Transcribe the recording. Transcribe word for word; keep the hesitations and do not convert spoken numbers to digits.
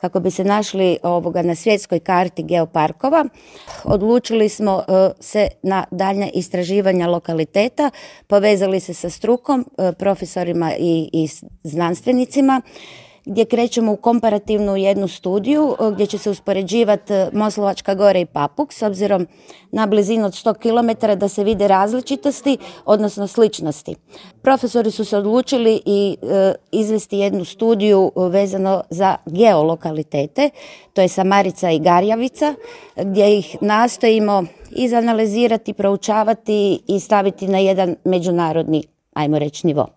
kako bi se našli ovoga na svjetskoj karti geoparkova. Odlučili smo se na daljnja istraživanja lokaliteta, povezali se sa strukom, profesorima i, i znanstvenicima, gdje krećemo u komparativnu jednu studiju gdje će se uspoređivati Moslavačka Gora i Papuk s obzirom na blizinu od sto kilometara da se vide različitosti, odnosno sličnosti. Profesori su se odlučili i e, izvesti jednu studiju vezano za geolokalitete, to je Samarica i Garjavica, gdje ih nastojimo izanalizirati, proučavati i staviti na jedan međunarodni, ajmo reći, nivo.